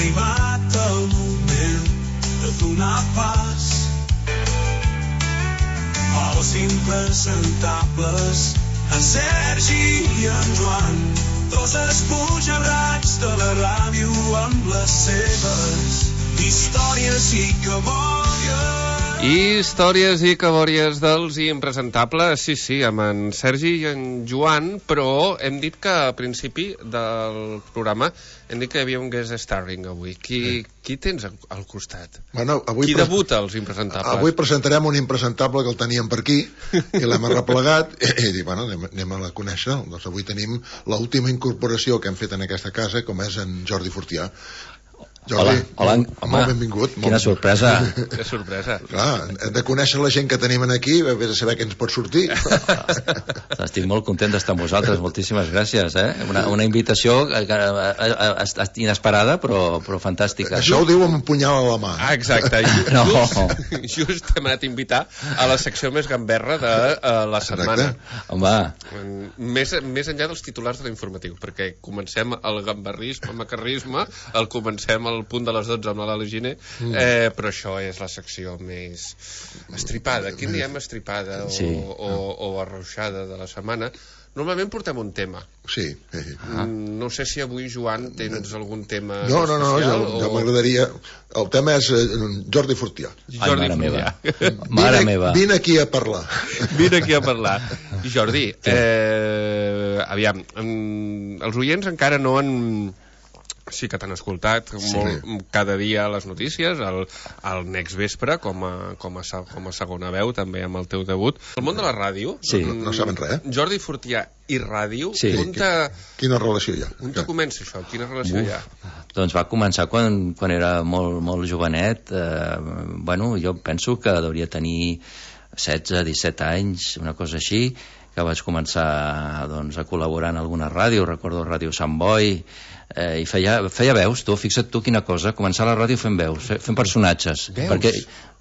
arribat el moment de donar pas als impresentables, en Sergi i en Joan, dos esbojarrats de la ràdio amb les seves històries i cabòries. Històries i cabòries dels impresentables, sí, amb en Sergi i en Joan, però hem dit que al principi del programa hem dit que hi havia un guest starring avui. Qui tens al costat? Bueno, qui debuta als impresentables? Avui presentarem un impresentable que el teníem per aquí i l'hem arreplegat i dic, bueno, anem a conèixer. Doncs avui tenim l'última incorporació que hem fet en aquesta casa, com és en Jordi Fortià. Jordi, hola, molt benvingut. Quina sorpresa. Que sorpresa. Clar, hem de conèixer la gent que tenim aquí, vés a saber què ens pot sortir. Estic molt content d'estar amb vosaltres, moltíssimes gràcies. Una invitació inesperada, però fantàstica. Això ho diu amb un punyal a la mà. Exacte. Just t'hem anat a invitar a la secció més gamberra de la setmana. Home. Més enllà dels titulars de l'informatiu, perquè comencem el gamberrisme, el macarrisme, comencem al punt de les 12 amb la Giner, però això és la secció més estripada. Quin diem estripada o arrauxada de la setmana? Normalment portem un tema. Sí. No sé si avui, Joan, tens algun tema no, especial. Jo m'agradaria... El tema és Jordi Fortià. Jordi Fortià. Mare meva. Vine aquí a parlar. Vine aquí a parlar. Jordi, aviam, els oients encara no han... Sí que t'han escoltat cada dia les notícies, al Next Vespre com a segona veu, també amb el teu debut. El món de la ràdio, no saben res. Jordi Fortià i ràdio, quina relació hi ha? On te comença això? Quina relació hi ha? Doncs va començar quan era molt jovenet. Jo penso que hauria tenir 16-17 anys, una cosa així, que vaig començar a col·laborar en alguna ràdio, recordo Ràdio Sant Boi, i feia veus, fixa't tu quina cosa, començar la ràdio fent veus, fent personatges. Perquè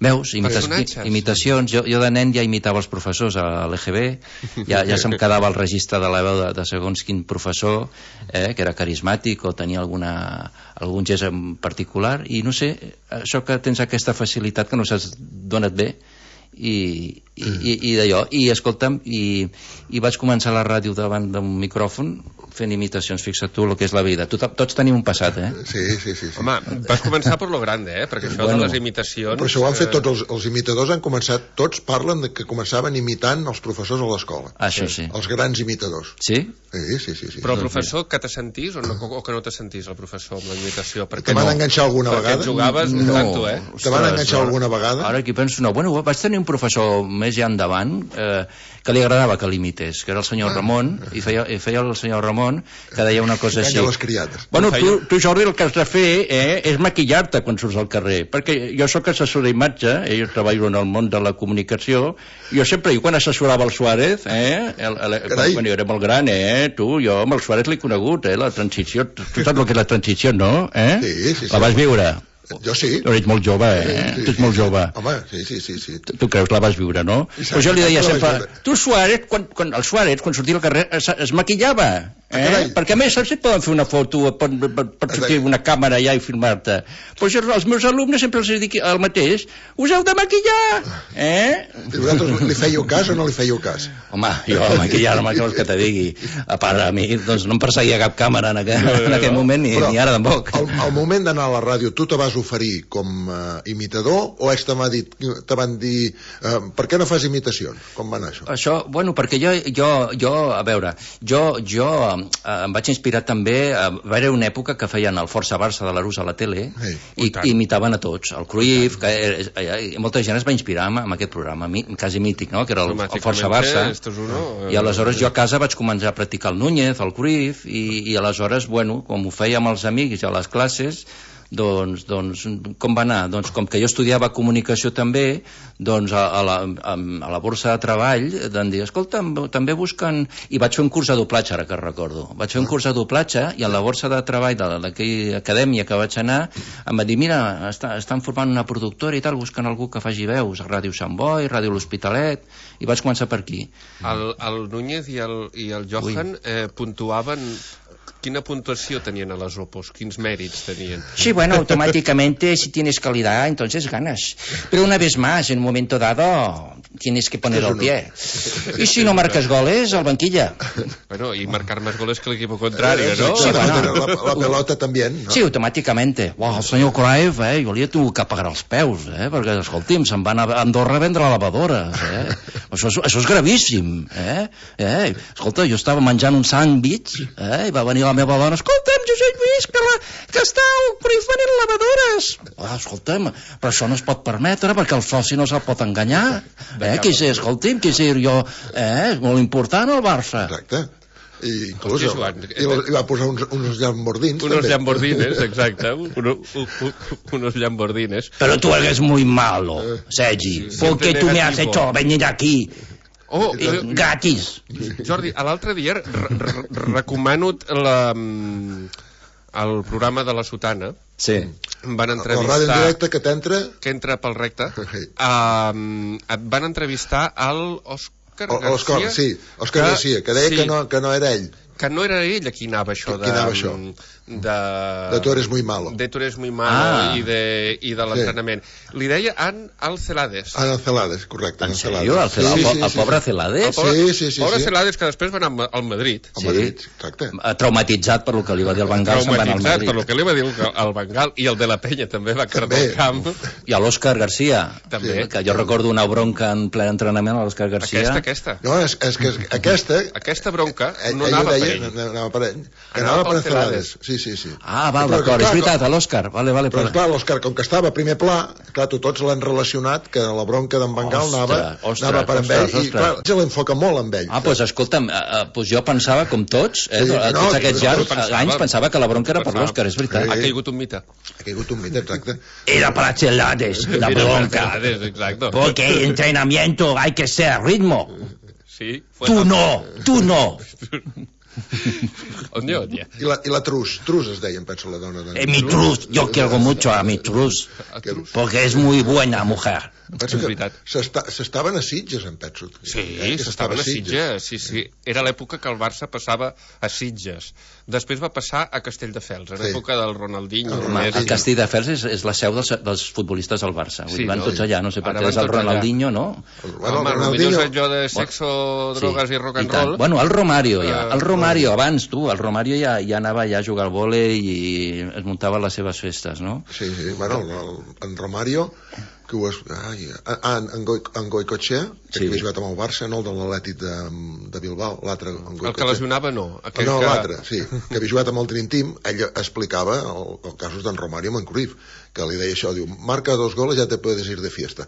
veus, imitacions. Jo de nen ja imitava els professors a l'EGB, ja se'm quedava el registre de la veu de segons quin professor, que era carismàtic o tenia algun gest en particular, i no sé, això que tens aquesta facilitat que no saps d'on et ve, i d'allò, i escolta'm, i vaig començar la ràdio davant d'un micròfon fent imitacions, fixa't tu el que és la vida. Tots tenim un passat, Sí. Home, vas començar per lo grande, perquè això de les imitacions... Però això ho han fet tots, els imitadors han començat, tots parlen que començaven imitant els professors a l'escola. Això sí. Els grans imitadors. Sí? Sí. Però el professor, que te sentís o que no te sentís, el professor, amb la imitació? Te van enganxar alguna vegada? Perquè jugaves tanto, Te van enganxar alguna vegada? Ara aquí penso, no. Bueno, vaig tenir un professor més ja endavant que li agradava que l'imités, que era el senyor Ramon, i feia el senyor Ramon, que deia una cosa així. Les criades. Bueno, tu, Jordi, el que has de fer és maquillar-te quan surts al carrer, perquè jo sóc assessor d'imatge, jo treballo en el món de la comunicació, jo sempre, quan assessorava el Suárez, quan jo era molt gran, jo amb el Suárez l'he conegut, la transició, tu saps el que és la transició, no? Sí. La vas viure? Jo sí. Tu ets molt jove, Tu ets molt jove. Home, sí. Tu creus, la vas viure, no? Però jo li deia sempre, tu Suárez, el Suárez, quan sortia al carrer, es maquillava, perquè a més saps si poden fer una foto, pot sortir una càmera allà i filmar-te. Però jo als meus alumnes sempre els dic el mateix, us heu de maquillar, Vosaltres li fèieu cas o no li fèieu cas? Home, jo maquillar-me, què vols que te digui? A part, a mi doncs no em perseguia cap càmera en aquell moment, ni ara tampoc. Al moment d'anar a la ràdio, tu te vas oferir com imitador o ells te van dir per què no fas imitacions? Com va anar això? Això, bueno, perquè jo a veure, jo em vaig inspirar també, va haver una època que feien el Força Barça de l'Arús a la tele i imitaven a tots, el Cruyff, molta gent es va inspirar amb aquest programa quasi mític, no? Que era el Força Barça, i aleshores jo a casa vaig començar a practicar el Núñez, el Cruyff, i aleshores, bueno, com ho feia amb els amics a les classes, doncs com va anar? Doncs com que jo estudiava comunicació també, doncs a la borsa de treball van dir, escolta, també busquen, i vaig fer un curs de doblatge, ara que recordo, vaig fer un curs de doblatge i a la borsa de treball d'aquella acadèmia que vaig anar em va dir, mira, estan formant una productora i tal, busquen algú que faci veus a Ràdio Sant Boi, Ràdio L'Hospitalet, i vaig començar per aquí. El Núñez i el Johan puntuaven quina puntuació tenien a les Opos? Quins mèrits tenien? Sí, bueno, automáticamente si tienes calidad, entonces ganas. Pero una vez más, en un momento dado, tienes que poner el pie. Y si no marcas goles, al banquilla. Bueno, y marcar más goles que el equipo contrario, ¿no? Sí, bueno. La pelota también, no? Sí, automàticament. Uau, el senyor Cruyff, jo li he tingut que pagar els peus, perquè, escolti'm, se'n van a Andorra a vendre lavadores, Això és gravíssim, Escolta, jo estava menjant un sàndwich, i va venir la meva dona, escolta'm, Josep Lluís, que està el Cruyff venent lavadores. Escolta'm, però això no es pot permetre, perquè el soci no se'l pot enganyar, escolti'm, que sé jo, és molt important el Barça. Exacte. I inclús Hòstia, i va posar uns llambordins Unos també. llambordines, exacte. Unos llambordines. Pero tú eres muy malo, Sergi. ¿Por qué tú me has hecho venir aquí Oh, gratis? Jordi, a l'altre dia recomano el programa de la Sotana. Sí. Em van La entrevistar... ràdio en directe que t'entra... Que entra pel recte. Et van entrevistar al Òscar Garcia. Sí, Òscar Garcia, que deia que no era ell. Que no era ell a qui anava això Qui anava això? De tu eres muy malo. De tu eres muy malo i de l'entrenament. Li deia al Celades. Al Celades, correcte. En sèrio? El pobre Celades? Sí. Pobre Celades, que després va anar al Madrid. Al Madrid, exacte. Traumatitzat per lo que li va dir el Van Gaal, se'n va anar al Traumatitzat Madrid. per lo que li va dir el Van Gaal, i el de la Penya també va quedar al camp. I a l'Òscar Garcia, També. que jo recordo una bronca en ple entrenament a l'Òscar Garcia. Aquesta. No, és que Aquesta bronca no ell anava per deia, ell. anava per ell. Anava pel Celades. Sí. Ah, val, d'acord, és veritat, a l'Òscar. Vale, Però esclar, l'Òscar, com que estava a primer pla, clar, tots l'han relacionat que la bronca d'en Van Gaal anava per amb ell, i clar, se l'enfoca molt amb ell. Ah, doncs escolta'm, jo pensava, com tots, tots aquests anys, pensava que la bronca era per l'Òscar, és veritat. Ha caigut un mite. Ha caigut un mite, exacte. Era para Celades, la bronca. Exacto. Porque entrenamiento hay que ser ritmo. Sí. Tú no. Odia. I la Trus es deia, em penso, la dona de... Mi Truz, yo quiero mucho a mi Truz, porque es muy buena mujer. Penso que s'estaven a Sitges, em penso. Sí, s'estaven a Sitges, sí. Era l'època que el Barça passava a Sitges. Després va passar a Castelldefels, en l'època del Ronaldinho. El Castelldefels és la seu dels futbolistes del Barça. Van tots allà, no sé per què és el Ronaldinho, no? Home, potser és allò de sexo, drogues i rock and roll. Bueno, el Romario ja. El Romario, abans, tu, el Romario ja anava ja a jugar al vòlei i es muntava les seves festes, no? Sí, bueno, en Romario... que ho és... en Goicoechea, que havia jugat amb el Barça, no el de l'Atlètic de Bilbao, l'altre... El que lesionava no. No, l'altre, sí, que havia jugat amb el Dream Team, ell explicava el casos d'en Romario amb en Cruyff, que li deia això, diu, marca 2 goles ja te puedes ir de fiesta.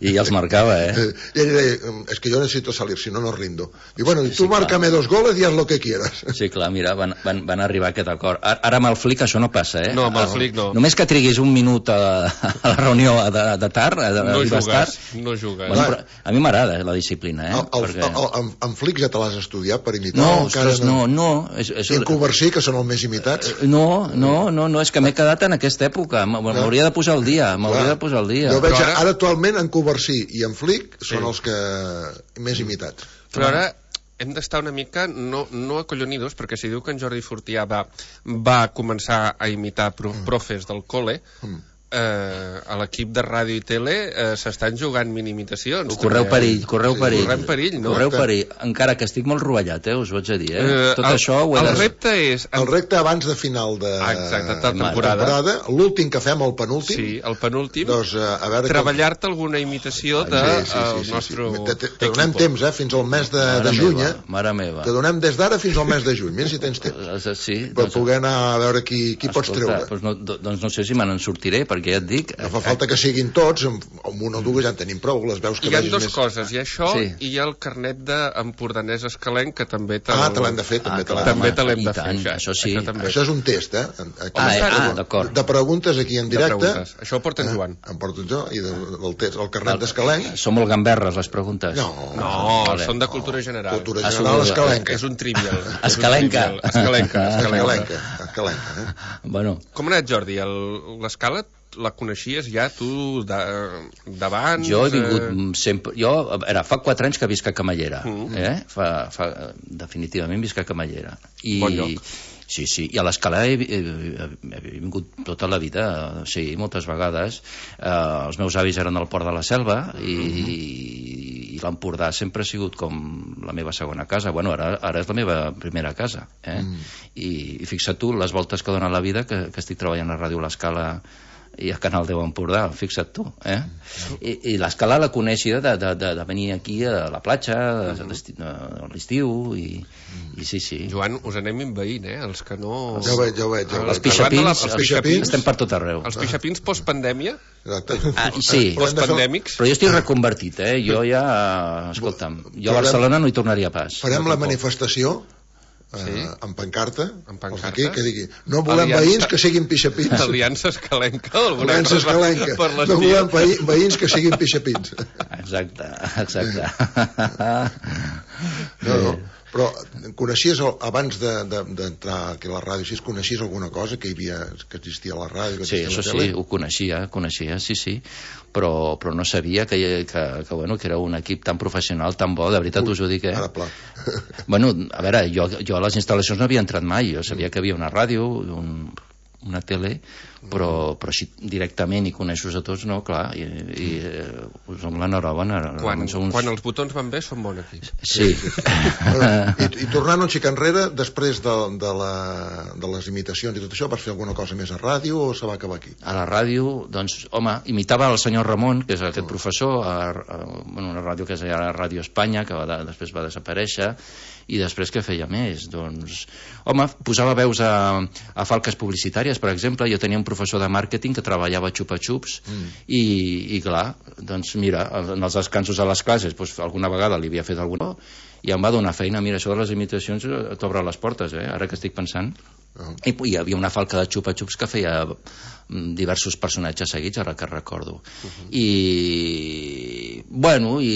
I els marcava, I ell deia, es que yo necesito salir, si no, no rindo. Diu, bueno, tu márcame 2 goles y haz lo que quieras. Sí, clar, mira, van arribar a aquest acord. Ara amb el Flick això no passa, No, amb el Flick no. Només que triguis un minut a la reunió de tard, no jugues. Bueno, a mi m'agrada la disciplina, En Flick ja te l'has estudiat per imitar? No, ostres, no. I en Coversí, que són els més imitats? No, és que m'he quedat en aquesta època. M'hauria de posar al dia, Jo veig ara actualment en Coversí i en Flick són els que més imitats. Però ara hem d'estar una mica no acollonidos, perquè si diu que en Jordi Fortià va començar a imitar profes del col·le, a l'equip de ràdio i tele s'estan jugant minimitacions. Correu perill, Correm perill, no? Correu perill, encara que estic molt rovellat, us ho haig de dir, tot això ho he el repte és... El repte abans de final de temporada, l'últim que fem, el penúltim. Sí, el penúltim. Doncs, a veure... Treballar-te alguna imitació del nostre equip. Te donem temps, fins al mes de juny, Mare meva. Te donem des d'ara fins al mes de juny, mira si tens temps. Sí. Per poder anar a veure qui pots treure. Doncs no sé si me n'en sortiré, perquè ja et dic... No fa falta que siguin tots, amb una o dues ja en tenim prou, les veus que hi ha vegis dues més... coses, hi ha això i hi ha el carnet d'empordanès escalenc, que també te l'hem de fer, també te l'hem de fer. Això sí. Això és un test, d'acord. De preguntes aquí en directe. Això ho porta en Joan. Em porta jo, i del test, el carnet d'escalenc. Són molt gamberres, les preguntes. No, són de cultura general. Cultura general escalenca. És un trivial. Escalenca. Escalenca. Bueno. Com ha anat, Jordi? L'escala la coneixies ja tu d'abans? Jo he vingut sempre... Fa 4 anys que visc a Camallera. Definitivament visc a Camallera. Bon lloc. Sí, i a l'Escala he vingut tota la vida, sí, moltes vegades. Els meus avis eren al Port de la Selva i l'Empordà sempre ha sigut com la meva segona casa. Bueno, ara és la meva primera casa. I fixa't tu, les voltes que dona la vida, que estic treballant a Ràdio l'Escala i a Canal 10 Empordà, fixa't tu. I l'Escala la coneixia de venir aquí a la platja a l'estiu i sí. Joan, us anem inveint, els que no... Ja ho veig. Els pixapins estem per tot arreu. Els pixapins postpandèmia? Exacte. Sí, postpandèmics? però jo estic reconvertit, jo ja... Escolta'm, jo a Barcelona no hi tornaria pas. Farem la manifestació amb pancarta, aquí, que digui no volem veïns que siguin pixapins. Aliança Escalenca. Aliança Escalenca. No volem veïns que siguin pixapins. Exacte. No. Però coneixies, abans d'entrar aquí a la ràdio, si coneixies alguna cosa que existia a la ràdio? Sí, això sí, ho coneixia, sí. Però no sabia que era un equip tan professional, tan bo, de veritat us ho dic, Ara pla. Bueno, a veure, jo a les instal·lacions no havia entrat mai, jo sabia que havia una ràdio, una tele, però així directament i coneixos a tots, no, clar, i us dono l'enhorabona. Quan els botons van bé són bon equip. Sí. I tornant un xic enrere, després de les imitacions i tot això, vas fer alguna cosa més a ràdio o se va acabar aquí? A la ràdio, doncs, home, imitava el senyor Ramon, que és aquest professor, una ràdio que es deia Ràdio Espanya, que després va desaparèixer, i després què feia més? Doncs, home, posava veus a falques publicitàries, per exemple. Jo tenia un professor de màrqueting que treballava a xupa-xups i clar, doncs mira, en els descansos a les classes alguna vegada li havia fet alguna i em va donar feina. Mira, això de les imitacions t'obre les portes, ara que estic pensant. I hi havia una falca de xupa-xups que feia diversos personatges seguits, ara que recordo. I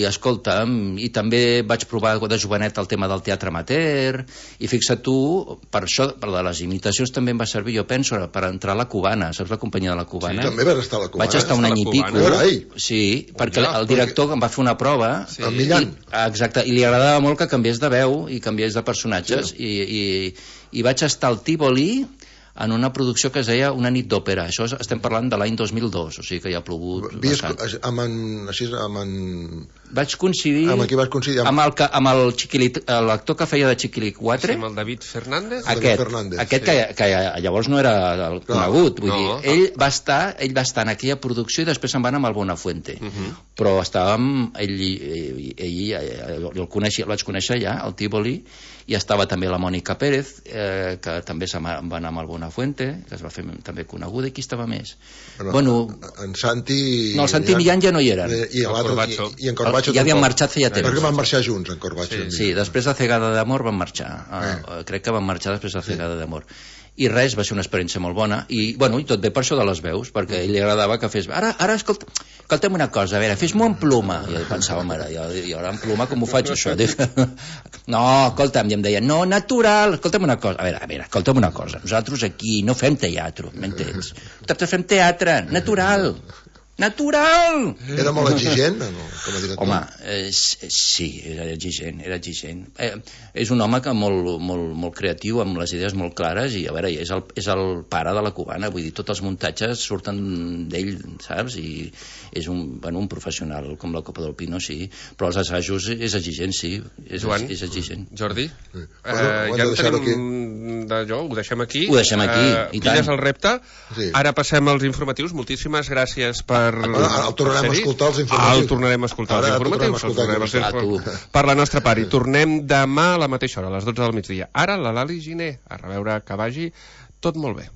escolta'm, i també vaig provar de jovenet el tema del teatre amateur, i fixa't tu, per això, per les imitacions també em va servir, jo penso, per entrar a la Cubana. Saps la companyia de la Cubana? Sí, també vas estar a la Cubana. Vaig estar un any i pico. Sí, perquè el director em va fer una prova. El Millan. Exacte, i li agradava molt que canviés de veu i canviés de personatges, i vaig estar al Tívoli en una producció que es deia Una nit d'òpera. Això estem parlant de l'any 2002, o sigui que ja ha plogut bastant. Vaig coincidir amb qui vas coincidir? Amb l'actor que feia de Chiquilicuatre. Amb el David Fernández? Aquest que llavors no era el conegut, vull dir, ell va estar en aquella producció i després se'n va anar amb el Buenafuente, però estàvem el vaig conèixer ja al Tívoli, i estava també la Mònica Pérez, que també se'n va anar amb el Buenafuente, que es va fer també coneguda. I qui estava més? En Santi... No, el Santi Millán ja no hi eren. I en Corbacho ja havien marxat feia temps. Perquè van marxar junts, en Corbacho. Sí, després de Cegada d'Amor van marxar. Crec que van marxar després de Cegada d'Amor. I res, va ser una experiència molt bona. I tot bé per això de les veus, perquè a ell li agradava que fes... Ara escolta'm una cosa, a veure, fes-m'ho en pluma. I jo pensava, mare, jo ara en pluma com ho faig, això? No, escolta'm, i em deia, no, natural, escolta'm una cosa. A veure, escolta'm una cosa, nosaltres aquí no fem teatre, m'entens? Nosaltres fem teatre, natural. Era molt exigent, no? Com a director? Home, sí, era exigent. És un home que molt creatiu, amb les idees molt clares, i a veure, és el pare de la Cubana, vull dir, tots els muntatges surten d'ell, saps? I és un professional com la Copa del Pino, sí, però els assajos és exigent, sí. Joan, és exigent. Jordi, ja en tenim d'allò, ho deixem aquí. Ho deixem aquí, i tant. Pilles el repte. Ara passem als informatius. Moltíssimes gràcies per... El tornarem a escoltar els informatius. El tornarem a escoltar els informatius. Per la nostra part. I tornem demà a la mateixa hora, a les 12 del migdia. Ara la Lali Giner, a reveure que vagi tot molt bé.